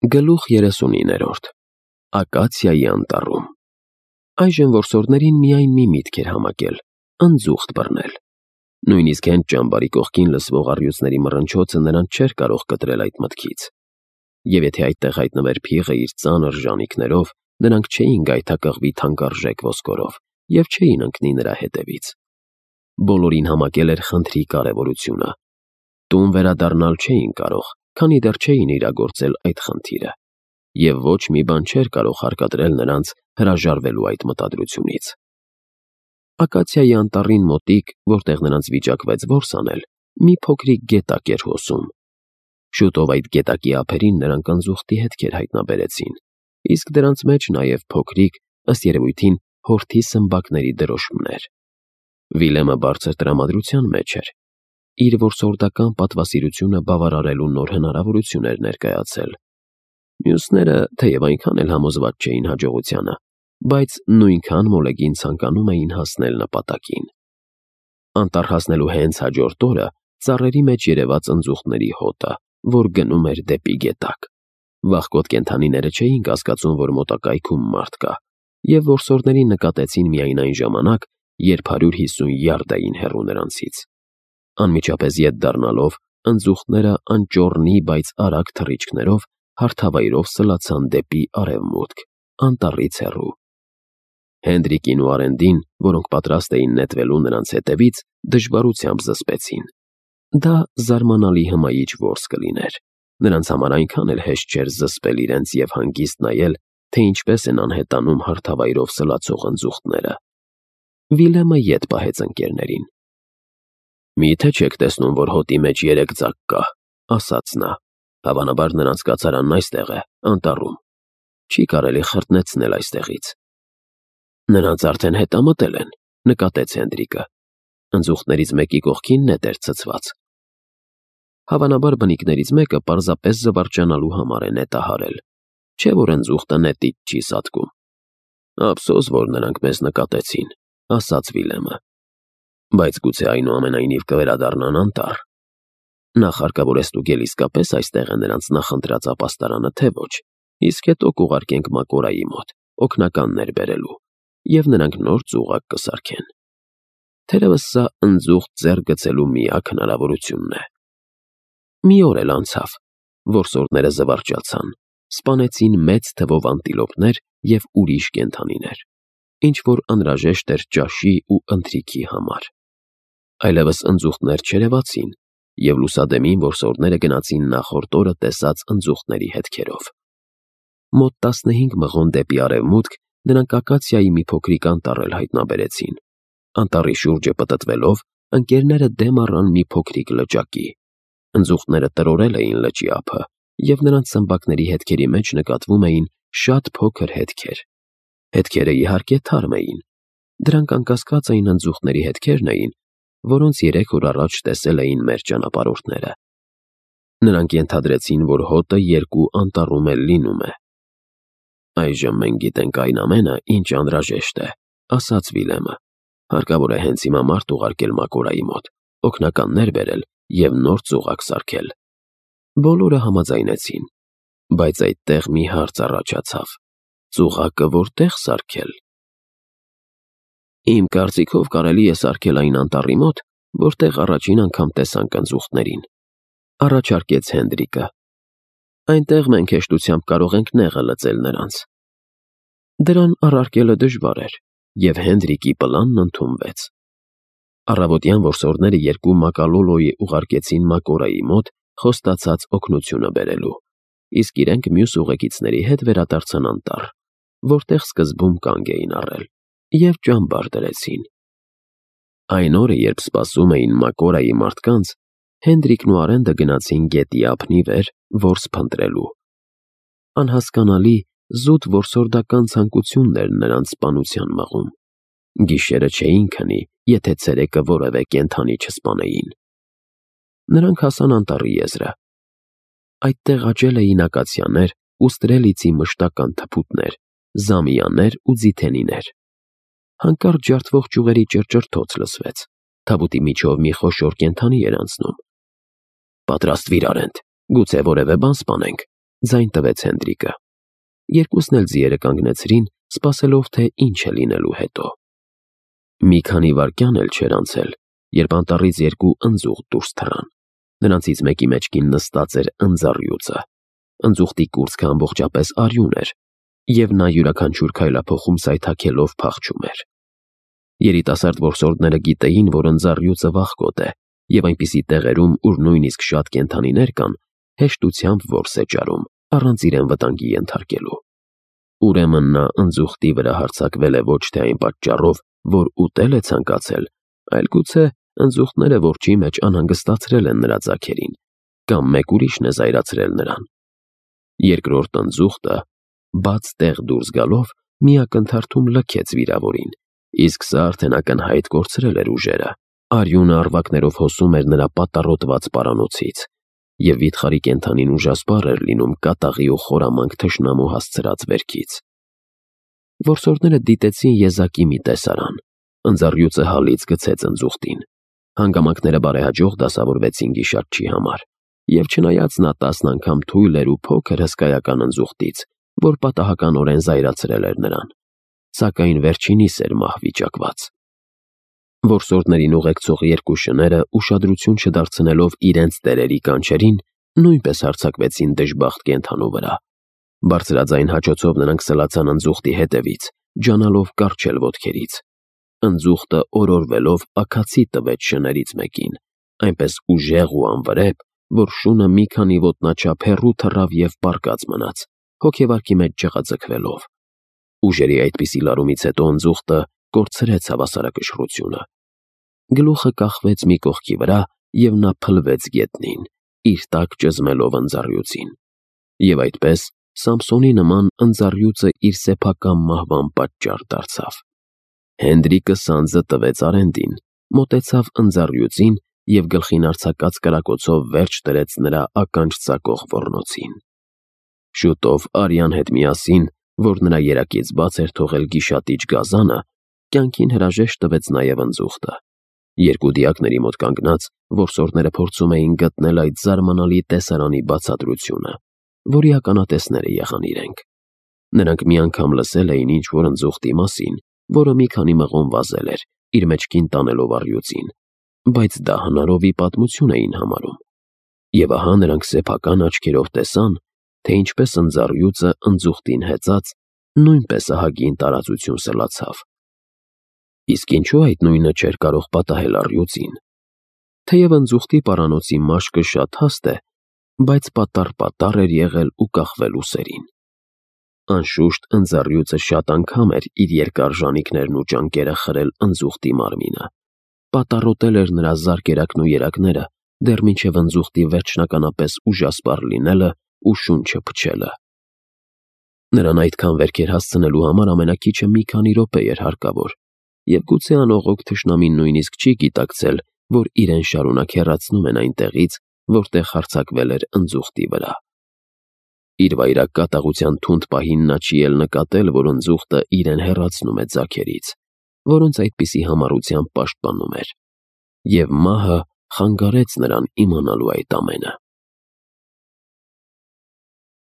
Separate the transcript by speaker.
Speaker 1: Գլուխ 39-րդ Ակացիայի անտառում Այժմ որսորդներին միայն մի միտք էր համակել՝ ընձուղտ բռնել։ Նույնիսկ հենց ճամբարի կողքին լսվող առյուծների մռնչոցը նրանց չէր կարող կտրել այդ մտքից։ Եվ եթե այդտեղ հայտնվեր փիղը իր ծանր ժանիքներով, նրանք չէին գայթակղվի թանկարժեք ոսկորով և չէին ընկնի նրա հետևից։ Բոլորին համակել էր խնդրի կարևորությունը։ Տուն վերադառնալ չէին կարող, քանի դեռ չէին իրագործել այդ խնդիրը, և ոչ մի բան չէր կարող հարկադրել նրանց հրաժարվելու այդ մտադրությունից։ Ակացիայի անտառին մոտիկ, որտեղ նրանց վիճակվեց որս անել, մի փոքրիկ գետակ էր հոսում։ Շուտով այդ գետակի ափերին նրանք ընձուղտի հետքեր հայտնաբերեցին, իսկ դրանց մեջ նաև փոքրիկ, ըստ երևույթին, հորթի սմբակների դրոշմներ։ Վիլեմը բարձր տրամադրության մեջ էր։ Իր որսորդական պատվասիրությունը բավարարելու նոր հնարավորություն էր ներկայացել։ Մյուսները, թեև այնքան էլ համոզված չէին հաջողությանը, բայց նույնքան մոլեգին ցանկանում էին հասնել նպատակին։ Անտառ հասնելու հենց հաջորդ օրը ծառերի մեջ երևաց ընձուղտների հոտը, որ գնում էր դեպի գետակ։ Վախկոտ կենդանիները չէին կասկածում, որ մոտակայքում մարդ կա, և որսորդներին նկատեցին միայն այն ժամանակ, երբ 150 յարդ էին հեռու նրանցից։ Անմիջապես ետ դառնալով, ընձուղտները անճոռնի, բայց արագ թռիչքներով հարթավայրով սլացան դեպի արևմուտք, անտառից հեռու։ Հենդրիկին ու Արենդին, որոնք պատրաստ էին նետվելու նրանց հետևից, դժվարությամբ զսպեցին։ Դա զարմանալի հմայիչ որս կլիներ։ Նրանց համար այնքան էլ հեշտ չէր զսպել իրենց և հանգիստ նայել, թե ինչպես են անհետանում հարթավայրով սլացող ընձուղտները։ Վիլեմը ետ պահեց ընկերներին։ «Մի՞թե չեք տեսնում, որ հոտի մեջ 3 ձակ կա», ասաց նա։ «Հավանաբար նրանց կացարանն այստեղ է, անտառում։ Չի կարելի խրտնեցնել այստեղից»։ «Նրանց արդեն հետամտել են», նկատեց Հենդրիկը։ Ընձուղտներից մեկի կողքին նետ էր ցցված։ Հավանաբար բնիկներից մեկը պարզապես զվարճանալու համար է նետը հարել, չէ՞ որ ընձուղտը նետից չի սատկում։ «Ափսոս, որ նրանք մեզ նկատեցին», ասաց Վիլեմը։ «Բայց գուցե այնուամենայնիվ կվերադառնան անտառ։ Նախ հարկավոր է ստուգել իսկապես այստեղ է նրանց նախընտրած ապաստարանը, թե ոչ, իսկ հետո կուղարկենք Մակորայի մոտ, օգնականներ բերելու, և նրանք նոր ծուղակ կսարքեն։ Թերևս սա ընձուղտ ձեռք գցելու միակ հնարավորությունն է»։ Մի օր էլ անցավ։ Որսորդները զվարճացան, սպանեցին մեծ թվով անտիլոպներ և ուրիշ կենդանիներ, ինչ-որ անհրաժեշտ էր ճաշի ու ընթրիքի համար։ Այլևս ընձուղտներ չերևացին, և լուսադեմին որսորդները գնացին նախորդ օրը տեսած ընձուղտների հետքերով։ Մոտ 15 մղոն դեպի արևմուտք նրանք Ակացիայի մի փոքրիկ անտառ էլ հայտնաբերեցին։ Անտառի շուրջը պտտվելով, ընկերները դեմ առան մի փոքրիկ լճակի։ Ընձուղտները տրորել էին լճի ափը, և նրանց սմբակների հետքերի մեջ նկատվում էին շատ փոքր հետքեր։ Հետքերը, իհարկե, թարմ էին։ Դրանք անկասկած այն ընձուղտների հետքերն էին, որոնց 3 օր առաջ տեսել էին մեր ճանապարհորդները։ Նրանք ենթադրեցին, որ հոտը երկու անտառում էլ լինում է։ «Այժմ մենք գիտենք այն ամենը, ինչ անհրաժեշտ է», ասաց Վիլեմը։ «Հարկավոր է հենց հիմա մարդ ուղարկել Մակորայի մոտ, օգնականներ բերել և նոր ծուղակ սարքել»։ Բոլորը համաձայնեցին, բայց այդտեղ մի հարց առաջացավ. ծուղակը որտե՞ղ սարքել։ «Իմ կարծիքով կարելի է սարքել այն անտառի մոտ, որտեղ առաջին անգամ տեսանք ընձուղտներին», առաջարկեց Հենդրիկը։ «Այնտեղ մենք հեշտությամբ կարող ենք նեղը լծել նրանց»։ Դրան առարկելը դժվար էր, և Հենդրիկի պլանն ընդունվեց։ Առավոտյան որսորդները 2 մակալոլոյի ուղարկեցին Մակորայի մոտ խոստացած օգնությունը բերելու, իսկ իրենք մյուս ուղեկիցների հետ վերադարձան անտառ, որտեղ սկզբում կանգ էին առել, և ճամբար դրեցին։ Այն օրը, երբ սպասում էին Մակորայի մարդկանց, Հենդրիկն ու Արենդը գնացին գետի ափնի վեր որս փնտրելու։ Անհասկանալի, զուտ որսորդական ցանկությունն էր նրանց սպանության մղում։ Գիշերը չէին քնի, եթե ցերեկը որևէ կենդանի չսպանեին։ Նրանք հասան անտառի եզրը։ Այդտեղ աճել էին ակացիաներ ու ստրելիցի մշտական թփուտներ, զամիաներ ու ձիթենիներ։ Հանկարծ ջարդվող ճյուղերի ճռճռթոց լսվեց։ Թավուտի միջով մի խոշոր կենդանի էր անցնում։ «Պատրաստվիր, Արենդ, գուցե որևէ բան սպանենք», ձայն տվեց Հենդրիկը։ Երկուսն էլ ձիերը կանգնեցրին, սպասելով, թե ինչ է լինելու հետո։ Մի քանի վայրկյան էլ չէր անցել, երբ անտառից երկու ընձուղտ դուրս թռան։ Նրանցից մեկի մեջքին նստած էր ընձառյուծը։ Ընձուղտի կուրծքը ամբողջապես արյուն էր, և նա յուրաքանչյուր քայլափոխում սայթաքելով փախչում էր։ Երիտասարդ որսորդները գիտեին, որ ընձառյուծը վախկոտ է, և այնպիսի տեղերում, ուր նույնիսկ շատ կենդանիներ կան, հեշտությամբ որս է ճարում, առանց իրեն վտանգի ենթարկելու։ Ուրեմն նա ընձուղտի վրա հարձակվել է ոչ թե այն պատճառով, որ ուտել է ցանկացել, այլ գուցե ընձուղտները որջի մեջ անհանգստացրել են նրա ձագերին, կամ մեկ ուրիշն է զայրացրել նրան։ Երկրորդ ընձուղտը, բաց տեղ դուրս գալով, մի ակնթարթում լքեց վիրավորին, իսկ սա արդեն ակնհայտ կորցրել էր ուժերը։ Արյունը առվակներով հոսում էր նրա պատառոտված պարանոցից, և վիթխարի կենդանին ուժասպառ էր լինում կատաղի ու խորամանկ թշնամու հասցրած վերքից։ Որսորդները դիտեցին եզակի մի տեսարան։ Ընձառյուծը հալից գցեց ընձուղտին։ Հանգամանքները բարեհաջող դասավորվեցին գիշատչի համար, և չնայած նա 10 անգամ թույլ էր ու փոքր հսկայական ընձուղտից, որ պատահականորեն զայրացրել էր նրան, սակայն վերջինիս էր մահ վիճակված։ Որսորդներին ուղեկցող երկու շները, ուշադրություն չդարձնելով իրենց տերերի կանչերին, նույնպես հարձակվեցին դժբախտ կենդանու վրա։ Բարձրաձայն հաչոցով նրանք սլացան ընձուղտի հետևից, ջանալով կառչել ոտքերից։ Ընձուղտը օրորվելով աքացի տվեց շներից մեկին, այնպես ուժեղ ու անվրեպ, որ շունը մի քանի ոտնաչափ հեռու թռավ և պառկած մնաց, հոգեվարքի մեջ ջղաձգվելով։ Ուժերի այդպիսի լարումից հետո ընձուղտը կորցրեց հավասարակշռությունը։ Գլուխը կախվեց մի կողքի վրա, և նա փլվեց գետնին, իր տակ ճզմելով ընձառյուծին։ Եվ այդպես Սամսոնի նման ընձառյուծը իր սեփական մահվան պատճառ դարձավ։ Հենդրիկը սանձը տվեց Արենդին, մոտեցավ ընձառյուծին և գլխին արձակած կրակոցով վերջ դրեց նրա ականջ ծակող ոռնոցին։ Շուտով արյան հետ միասին, որ նրա երակից բաց էր թողել գիշատիչ գազանը, կյանքին հրաժեշտ տվեց նաև ընձուղտը։ Երկու դիակների մոտ կանգնած, որսորդները փորձում էին գտնել այդ զարմանալի տեսարանի բացատրությունը, որի ականատեսները եղան իրենք։ Նրանք մի անգամ լսել էին ինչ-որ ընձուղտի մասին, որը մի քանի մղոն վազել էր, իր մեջքին տանելով առյուծին, բայց դա հնարովի պատմություն էին համարում։ Եվ ահա նրանք սեփական աչքերով տեսան, թե ինչպես ընձառյուծը ընձուղտին հեծած, նույնպես ահագին տարածություն սլացավ։ Իսկ ինչու այդ նույնը չէր կարող պատահել առյուծին։ Թեև ընձուղտի պարանոցի մաշկը շատ հաստ է, բայց պատառ էր եղել ու կախվել ուսերին։ Անշուշտ ընձառյուծը շատ անգամ էր իր երկար ժանիքներն ու ճանկերը խրել ընձուղտի մարմինը, պատառոտել էր նրա զարկերակն ու երակները, դեռ մինչև ընձուղտի վերջնականապես ուժասպառ լինելը ու շունչը փչելը։ Նրան այդքան վերքեր հասցնելու համար ամենաքիչը մի քանի րոպե էր հարկավոր, և գուցե անողոք թշնամին նույնիսկ չի գիտակցել, որ իրեն շարունակ հեռացնում են այնտեղից, որտեղ հարձակվել էր ընձուղտի վրա։ Իր վայրագ կատաղության թունդ պահին նա չի էլ նկատել, որ ընձուղտը իրեն հեռացնում է ձագերից, որոնց այդպիսի համառությամբ պաշտպանում էր, և մահը խանգարեց նրան իմանալու այդ ամենը։